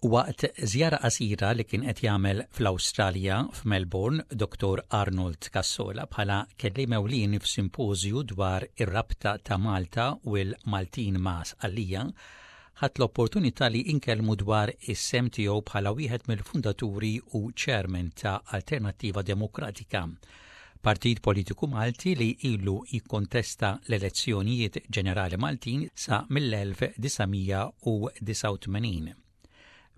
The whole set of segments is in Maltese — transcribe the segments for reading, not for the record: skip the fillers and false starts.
Waqt żjara qasira li kien qed jagħmel fl-Awstralja f'Melbourne, Dottor Arnold Cassola bħala kelliem ewlieni f'simpożju dwar ir-rabta ta' Malta u l-Maltin ma' Sqallija, ħadt l-opportunità li inkellmu dwar is-sehem tiegħu bħala wieħed mill-fundaturi u chairman ta' Alternattiva Demokratika, partit politiku Malti li ilu jikkontesta l-elezzjonijiet ġenerali Maltin sa mill-1989.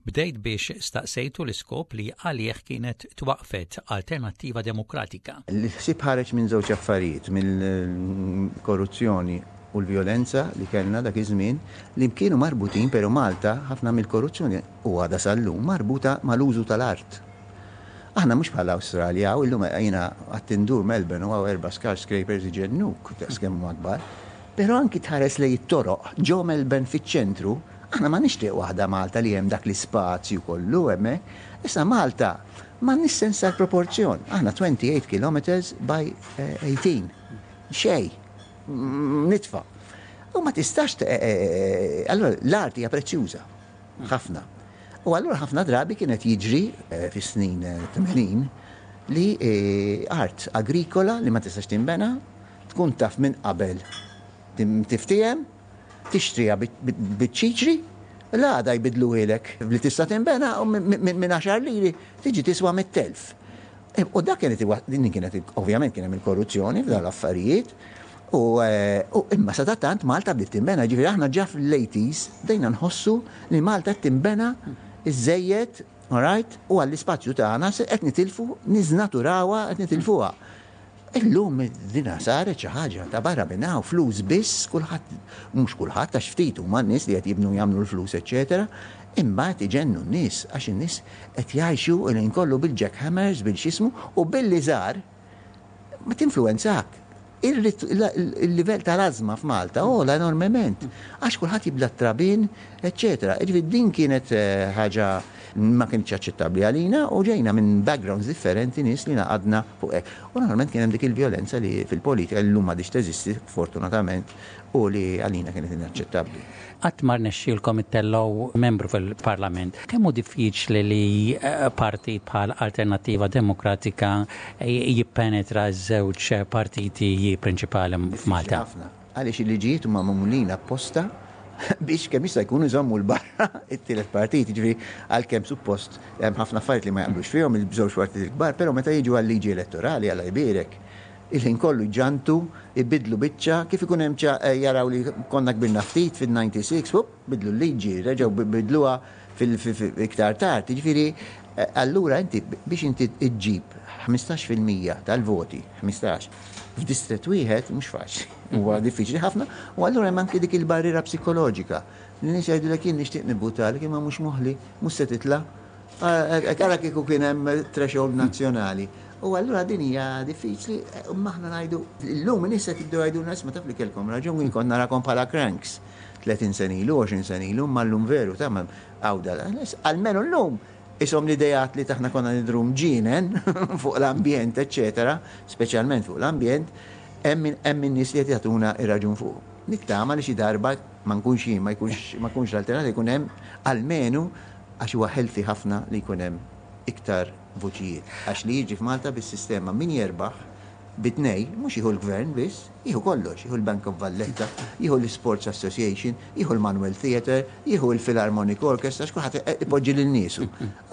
Bdejt biex staqsejtu l-iskop li għalih kienet twaqqfet Alternattiva Demokratika. Il-ħsieb ħareġ minn żewġ affarijiet, mill-korruzzjoni u l-vjolenza li kellna dak iż-żmien li kienu marbutin, però Malta ħafna mill-korruzzjoni u għadha sal-lum marbuta mal-użu tal-art. Aħna mhux bħal Awstralja, hawn illum jiena qatt indur Melbourne u hawn erba' skyscrapers iġennuk daqs kemm huma kbar. Però anki tħares lejn it-toroq ġo Melbourne fiċ-ċentru, aħna m'għandniex triq waħda Malta li hemm dak l-ispazju kollu hemmhekk. Issa Malta m'għandniex sens tal-proporzjon. Aħna 28 kilometres by 18. Xejn. Nitfa'. U ma tistax allura l-art hija prezzjuża. Ħafna. U allura ħafna drabi kien qed jiġri fis-snin 80 li art agrikola li ma tistax tinbena tkun taf minn qabel tiftiehem, tixtriha biċ-ċiċri, l-għada jbiddluhielek li tista' tinbena u minn għaxar liri tiġi tiswa 100,000. U dak kienet din kienet ovvjament kien hemm il-korruzzjoni f'dawn l-affarijiet u imma sadattant Malta bdiet tinbena, ġifieri aħna ġa fl-80s bdejna nħossu li Malta qed tinbena iżżejjed, alright, u għall-ispazju tagħna qed nitilfu, niżnaturawha, qed nitilfuha. Illum dina saret xi ħaġa ta' barra minn hawn, flus biss, kulħadd, mhux kulħadd għax ftit huma n-nies li qed jibnu jagħmlu l-flus eċċetera, imma qed iġennu n-nies għax in-nies qed jgħixu il-ħin kollu bil-jackhammers, bil-x'ismu u billi żgħar ma tinfluwenzak. Il-livell tal-ażma f'Malta għola enormement għax kulħadd jibla t-trabien, eċċetera. Jiġifieri din kienet ħaġa ma kinitx aċċettabbli għalina u ġejna minn backgrounds differenti nies li ngħaqadna fuq hekk. U normalment kien hemm dik il-vjolenza li fil-politika li llum m'għadhiex teżisti fortunatament u li għalina kienet inaċċettabbli. Qatt ma rnexxielkom ittellgħu membru fil-Parlament. Kemm hu diffiċli li partit bħal Alternattiva Demokratika jippenetra ż-żewġ partiti prinċipali f'Malta? Diffiċli ħafna. Għaliex il-liġijiet huma magħmulin apposta biex kemm jista' jkun iżommu 'l barra t-tielet partit, jiġifieri għalkemm suppost hemm ħafna affarijiet li ma jaqblux fihom il-żewġ partiti l-kbar, però meta jiġu għal-liġi elettorali, Alla jbierek, il-ħin kollu jġantu, ibiddlu biċċa, kif ikun hemm ċa jaraw li konna kbirna ftit fin-96, hupp, bidlu l-liġi, reġgħu bidluha iktar tard. Jiġifieri allura inti biex inti ġġib 15% tal-voti, 15, f'distrett wieħed mhux faċli. Huwa diffiċli ħafna u allura hemm anki dik il-barriera psikoloġika. Li nies jgħidulek jien nixtieq nivvutalek imma mhux moħli, mhux se titla'. Ara kieku kien hemm threshold nazzjonali. U allura din hija diffiċli, imma aħna ngħidu llum in-nies qed jibdew jgħidulna isma' taf li kellkom raġun jien kont narakom bħala cranks. 30 sena ilu, 20 sena ilu, imma llum veru ta' hawn da. Almenu llum ishom l-ideat li taħna konna nidhru mġienen fuq l-ambjent, eċċetera, speċjalment fuq l-ambjent, hemm hemm in-nies li qed jagħtuna r-raġun fuqu. Nittama li xi darba ma nkunx jien, ma jkunx ma jkunx l-alternat jkun hemm almenu għax huwa healthy ħafna li jkun hemm iktar vuċijiet. Għax li jiġri f'Malta bis-sistema min jerbaħ bi tnej, mhux jieħu l-Gvern biss, jieħu kollox, jieħu l-Bank of Valletta, jieħu l-Sports Association, jieħu l-Manuel Theatre, jieħu l-Philharmonic Orchestra, għax kulħadd ipoġġi lil niesu.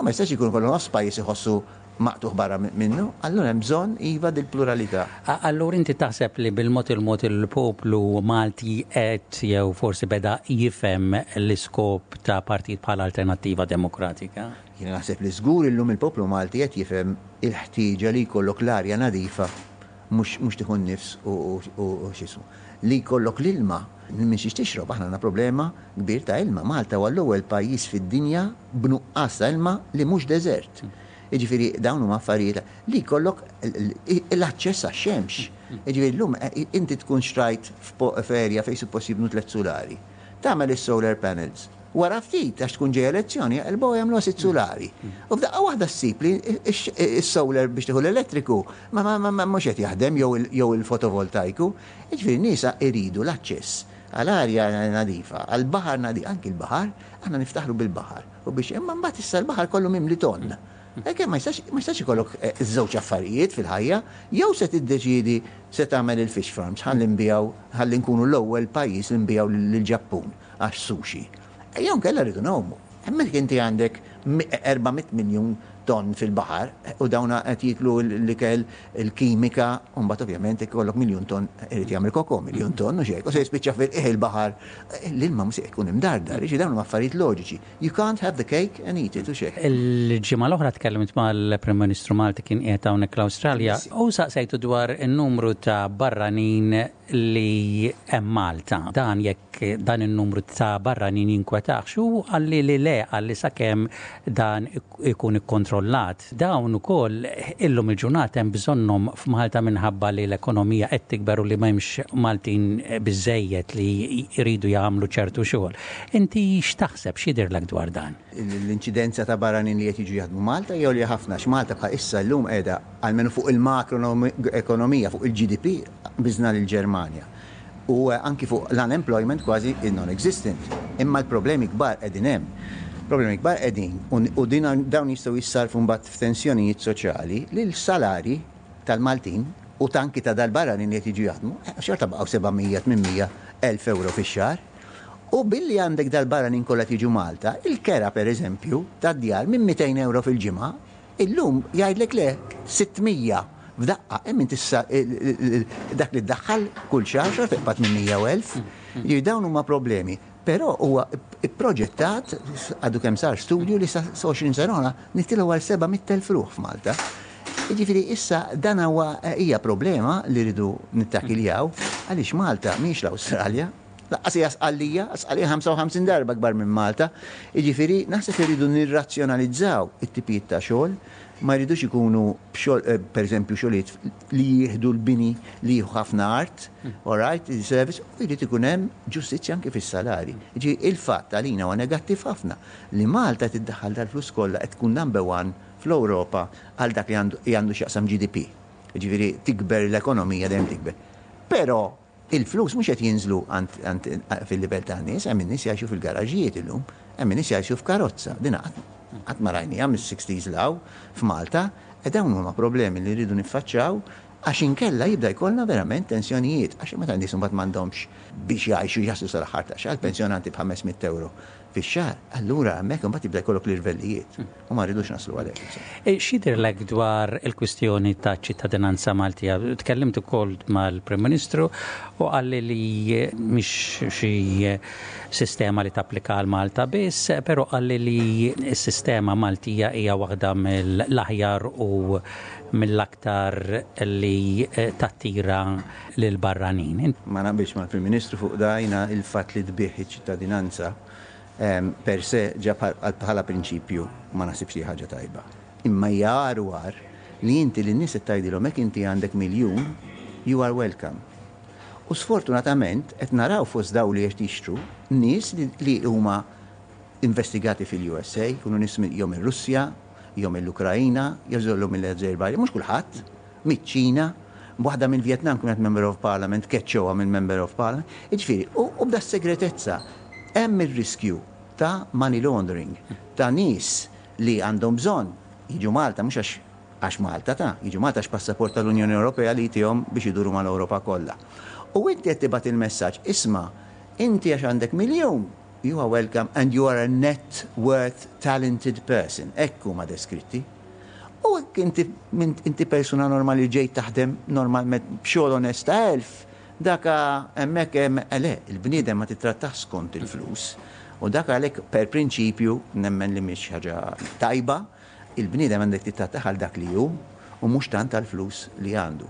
Ma jistax ikun kollu nofs pajjiż iħossu maqtugħ barra minnu, allura hemm bżonn iva dil-pluralità. Allura inti taħseb li bil-mod il-mod il-poplu Malti qed jew forsi beda jifhem l-iskop ta' partit bħal Alternattiva Demokratika? Jiena naħseb li żgur illum il-poplu Malti qed jifhem il-ħtieġa li jkollok l-arja nadifa mhux mhux tieħu n-nifs u u x'ismu. Li jkollok l-ilma minn xiex tixrob. Aħna għandna problema kbir ta' ilma. Malta huwa l-ewwel pajjiż fid-dinja b'nuqqas ta' ilma li mhux deżert. Jiġifieri dawn huma affarijiet li jkollok l-aċċess għax-xemx. Jiġifieri llum inti tkun xtrajt f'area fejn suppost jibnu tlett sulari. Tagħmel is-solar panels. Wara ftit, għax tkun ġejja elezzjoni, jaqilbuha u jagħmluha sitt sulari. U f'daqqa waħda ssib li s-solar biex tieħu l-elettriku ma mhux qed jaħdem jew il-fotovoltajku. Jiġifieri n-nies iridu l-aċċess. Għal arja nadifa, għal baħar nadif, anki l-baħar, aħna niftaħru bil-baħar. U biex imma mbagħad issa l-baħar kollu mimli tonn. Hekk ma jistax ma jistax ikollok żewġ affarijiet fil-ħajja, jew se tiddeċiedi se tagħmel il-fish farms ħalli nbigħu ħalli nkunu l-ewwel pajjiż li nbigħu lill-Ġappun għax sushi. Jew inkella rridu ngħumu. Hemmhekk inti għandek 400 miljun tonn fil-baħar u dawn qed jieklu l-ikel, il-kimika, u mbagħad ovvjament jekk ikollok miljun tonn irid jagħmel koko, miljun tonn u xejn, u se jispiċċa fil-qiegħ il-baħar, l-ilma mhux se jkun imdardar, jiġifieri dawn huma affarijiet loġiċi. You can't have the cake and eat it u xejn. Il-ġimgħa l-oħra tkellimt mal-Prim Ministru Malti kien qiegħed hawnhekk l-Awstralja u saqsejtu dwar in-numru ta' barranin li hemm Malta. Dan jekk dan in-numru ta' barranin jinkwetahx u qalli li le, qalli sakemm dan ikun ikkontrollat. Dawn ukoll illum il-ġurnata hemm bżonnhom f'Malta minħabba li l-ekonomija qed tikber u li m'hemmx Maltin biżżejjed li jridu jagħmlu ċertu xogħol. Inti x'taħseb, x'jidhirlek dwar dan? L-inċidenza ta' barranin li qed jiġu jaħdmu Malta hija għolja ħafna għax Malta bħal issa llum qiegħda almenu fuq il-makroekonomija, fuq il-GDP, qbiżna lill-Ġermanja. U anki fuq l-unemployment kważi non-existent. Imma l-problemi kbar qegħdin hemm. Problemi kbar qegħdin u din dawn jistgħu jissarfu mbagħad f'tensjonijiet soċjali li l-salarji tal-Maltin u ta' anki ta' dal-barranin li qed jiġu jaħdmu, xorta baqgħu 700, 800 elf ewro fix-xahar. U billi għandek dal-barranin kollha qed jiġu Malta, il-kera pereżempju tad-djar minn 200 ewro fil-ġimgħa Illum jgħidlek le, 600 f'daqqa, imma inti issa dak li ddaħħal kull xahar xorta jibqa' 800 u 1000. Jiġifieri dawn huma problemi. Però huwa pproġettat, għadu kemm sar studju li sa 20 sena oħra nitilgħu għal 700,000 ruħ f'Malta. Jiġifieri issa dan huwa hija problema li rridu nittakiljaw għaliex Malta mhijiex l-Awstralja. Lanqas hija Sqallija, Sqallija 55 darba akbar minn Malta. Jiġifieri naħseb irridu nirrazzjonalizzaw it-tipijiet ta' xogħol, ma jridux ikunu b'xogħol eh, pereżempju xogħlijiet li jieħdu l-bini li jieħu ħafna art, all right, service, u jrid ikun hemm ġustizzja anke fis-salari. Jiġifieri il-fatt għalina huwa negattiv ħafna li Malta tiddaħħal dal-flus kollha qed tkun number one fl-Ewropa għal dak li għandu x'jaqsam GDP. Jiġifieri tikber l-ekonomija dejjem tikber. Però Il-flus mhux qed jinżlu għand fil-livell tan-nies, hemm in-nies jgħixu fil-garaġijiet illum, hemm in-nies jgħixu f'karozza. Din qatt ma rajniha mis-sixties 'l hawn f'Malta, e dawn huma problemi li rridu niffaċċjaw għax inkella jibda jkollna verament tensjonijiet għax meta n-nies imbagħad m'għandhomx biex jgħixu jaslu sal-aħħar tax-xahar, pensjonanti b'ħames mitt ewro fix-xahar, allura hemmhekk imbagħad jibda jkollok l-irvellijiet. U ma rridux naslu għalhekk, insomma. X'jidhirlek dwar il-kwistjoni ta' ċittadinanza Maltija? Tkellimt ukoll mal-Prim Ministru u qalli li mhix xi sistema li tapplika għal Malta biss, però qalli li s-sistema Maltija hija waħda mill-aħjar u mill-aktar li tattira lill-barranin. Ma naqbilx mal-Prim Ministru fuq da, jiena il-fatt li tbigħ iċ-ċittadinanza Per se, ġa bħala prinċipju ma naħsibx li hi ħaġa tajba. Imma hija agħar u agħar li inti lin-nies qed tgħidilhom hekk inti għandek miljun, you are welcome. U sfortunatament qed naraw fost dawn li qed jixtru nies li huma investigati fil-USA, jkunu nies jew mir-Russja, jew mill-Ukraina, jew żollu mill-Azerbaijan, mhux kulħadd, miċ-Ċina, waħda mill-Vjetnam kienet Member of Parliament, keċċewha minn Member of Parliament. Jiġifieri, u b'da segretezza hemm ir-riskju ta' money laundering, ta' nies li għandhom bżonn jiġu Malta mhux għax għax Malta ta' jiġu Malta għax passaport tal-Unjoni Ewropea li jtihom biex iduru mal-Ewropa kollha. U inti qed tibgħat il-messaġġ, isma' inti għax għandek miljun, you are welcome and you are a net worth talented person. Hekk huma deskritti. U hekk inti inti persuna normali li ġejt taħdem normalment b'xogħol onest ta' 1000, daka hemmhekk hemm eh, le, il-bniedem ma tittrattah skont il-flus. U dak għalhekk per prinċipju nemmen li mhix ħaġa tajba, il-bniedem għandek tittrattah għal dak li hu u mhux tant għall-flus li għandu.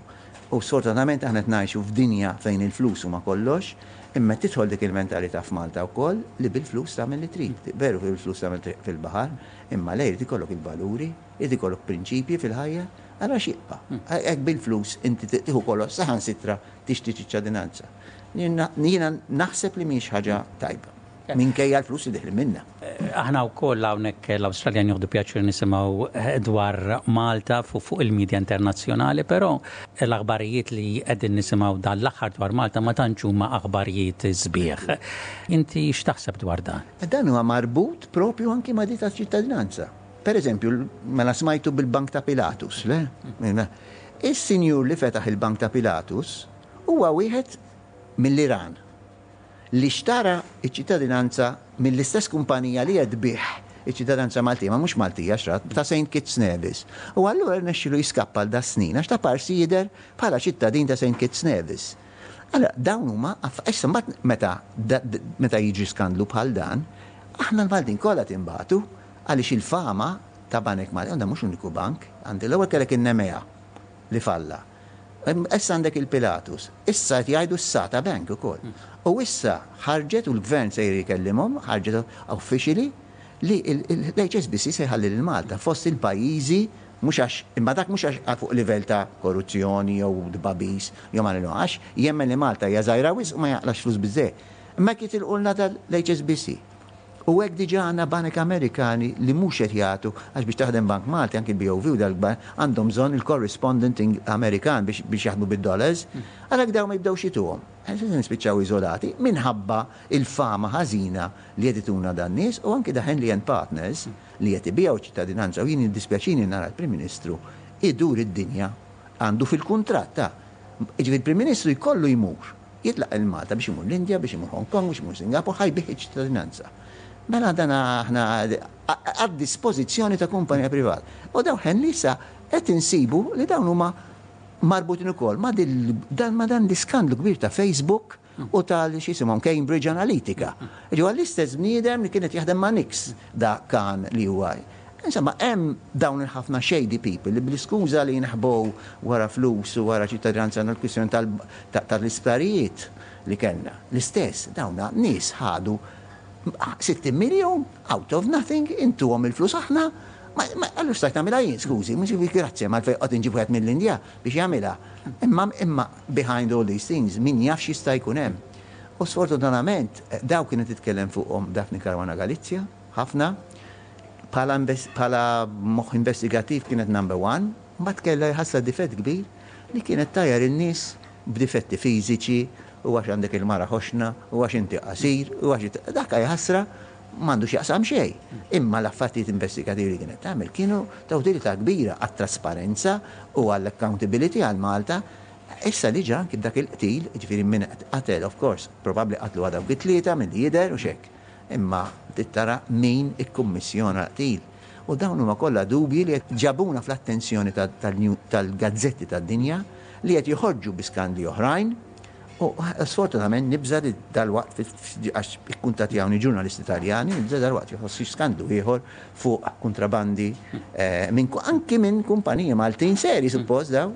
U sfortunatament aħna qed ngħixu f'dinja fejn il-flus huma kollox, imma qed tidħol dik il-mentalità f'Malta wkoll li bil-flus tagħmel li trid. Veru bil-flus tagħmel triq fil-baħar, Imma le, jrid ikollok il-valuri, jrid ikollok prinċipji fil-ħajja, allura x'jibqa'? Hekk bil-flus inti tieħu kollox saħansitra tixtri ċittadinanza. Jiena naħseb li mhijiex ħaġa tajba. Minkejja l-flus li deħlin minnha. Aħna wkoll hawnhekk l-Awstralja nieħdu pjaċir nisimgħu dwar Malta fuq il-medja internazzjonali, però l-aħbarijiet li qegħdin nisimgħu dan l-aħħar dwar Malta ma tantx huma aħbarijiet sbieħ. Inti x'taħseb dwar dan? Dan huwa marbut propju anki ma' di taċ-ċittadinanza. Per eżempju, mela smajtu bil-Bank ta' Pilatus, le? Is-sinjur li fetaħ il-Bank ta' Pilatus huwa wieħed mill-Iran li xtara ċ-ċittadinanza mill-istess kumpanija li qed tbigħ iċ-ċittadinanza Maltija, ma mhux Maltija xtrat, ta' Saint Kitts Nevis. U allura rnexxielu jiskappa għal das-snin għax ta' parsi jidher bħala ċittadin ta' Saint Kitts Nevis. Allura dawn huma issa mbagħad meta meta jiġri skandlu bħal dan, aħna l-Maltin kollha tinbagħtu għaliex il-fama ta' banek Maltin, dan mhux l-uniku bank, għandi l-ewwel kellek in-Nemea li falla. Issa għandek il-Pilatus, issa qed jgħidu s-Sata Bank ukoll. U issa ħarġet u l-gvern sejjer jkellimhom, ħarġet officially li l-HSBC se jħalli lil Malta fost il-pajjiżi mhux għax imma dak mhux għax fuq livell ta' korruzzjoni jew tbagħbis jew ma għax jemmen li Malta hija żgħira wisq u ma jaqlax flus biżżejjed. Imma jekk jitilqulna dal-HSBC. U hekk diġà għandna banek Amerikani li mhux qed jagħtu, għax biex taħdem bank Malti, anki l-BOV u dal-kbar, għandhom bżonn il-correspondent Amerikan biex biex jaħdmu bid-dollars, għalhekk dawn ma jibdewx jituhom. Se nispiċċaw iżolati minħabba il-fama ħażina li qed ituna dan-nies u anki da Henley and Partners li qed ibigħu ċittadinanza u jien jiddispjaċini nara l-Prim Ministru idur id-dinja għandu fil-kuntratt ta' jiġifieri l-Prim Ministru jkollu jmur Jitlaq 'il Malta biex imur l-Indja, biex imur Hong Kong, biex imur Singapore, ħa jbigħ iċ-ċittadinanza. Mela dan aħna għad-dispożizzjoni ta' kumpanija privata. U dawn Henley issa qed insibu li dawn huma marbutin ukoll ma' dan ma' dan l-iskandlu kbir ta' Facebook u tal x'isimhom Cambridge Analytica. Ġew l-istess bniedem li kien qed jaħdem ma' Nix dak kan li huwa. Insomma, hemm dawn il-ħafna shady people li bl-iskuża li jinħbow wara flus u wara ċittadinanza għandna l-kwistjoni tal-isptarijiet li kellna. L-istess, dawn nies ħadu 60 miljun out of nothing, intuhom il-flus aħna, allura stajt nagħmilha jien, skużi, mhux grazzi ma għalfejn qgħod inġib wieħed mill-Indja biex jagħmilha. Imma imma behind all these things min jaf x'jista' jkun hemm. U sfortunatament daw kienet titkellem fuqhom Daphne Caruana Galizia ħafna, Bħala bħala moħħ investigattiv kienet number one, mbagħad kellha jħassha difett kbir li kienet tgħajjar in-nies b'difetti fiżiċi u għax għandek il-mara ħoxna u għax inti qasir u għax dak jħassra m'għandu x'jaqsam xejn. Imma l-affarijiet investigativi li kienet tagħmel kienu ta' utilità kbira għat-trasparenza u għall-accountability għal Malta. Issa li ġa anki b'dak il-qtil, jiġifieri min qatel of course, probabbli qatluha dawk it-tlieta milli jidher u x'hekk. Imma trid tara min ikkummissjona l-qtil. U dawn huma kollha dubji li qed ġabuna fl-attenzjoni tal-gazzetti tad-dinja li qed joħorġu bi skandli oħrajn u sfortunatament nibża' li dalwaqt għax ikkuntattjawni ġurnalisti Taljani, nibża' dalwaqt joħroġ xi skandlu ieħor fuq kuntrabandi anki minn kumpaniji Maltin seri suppost dawn.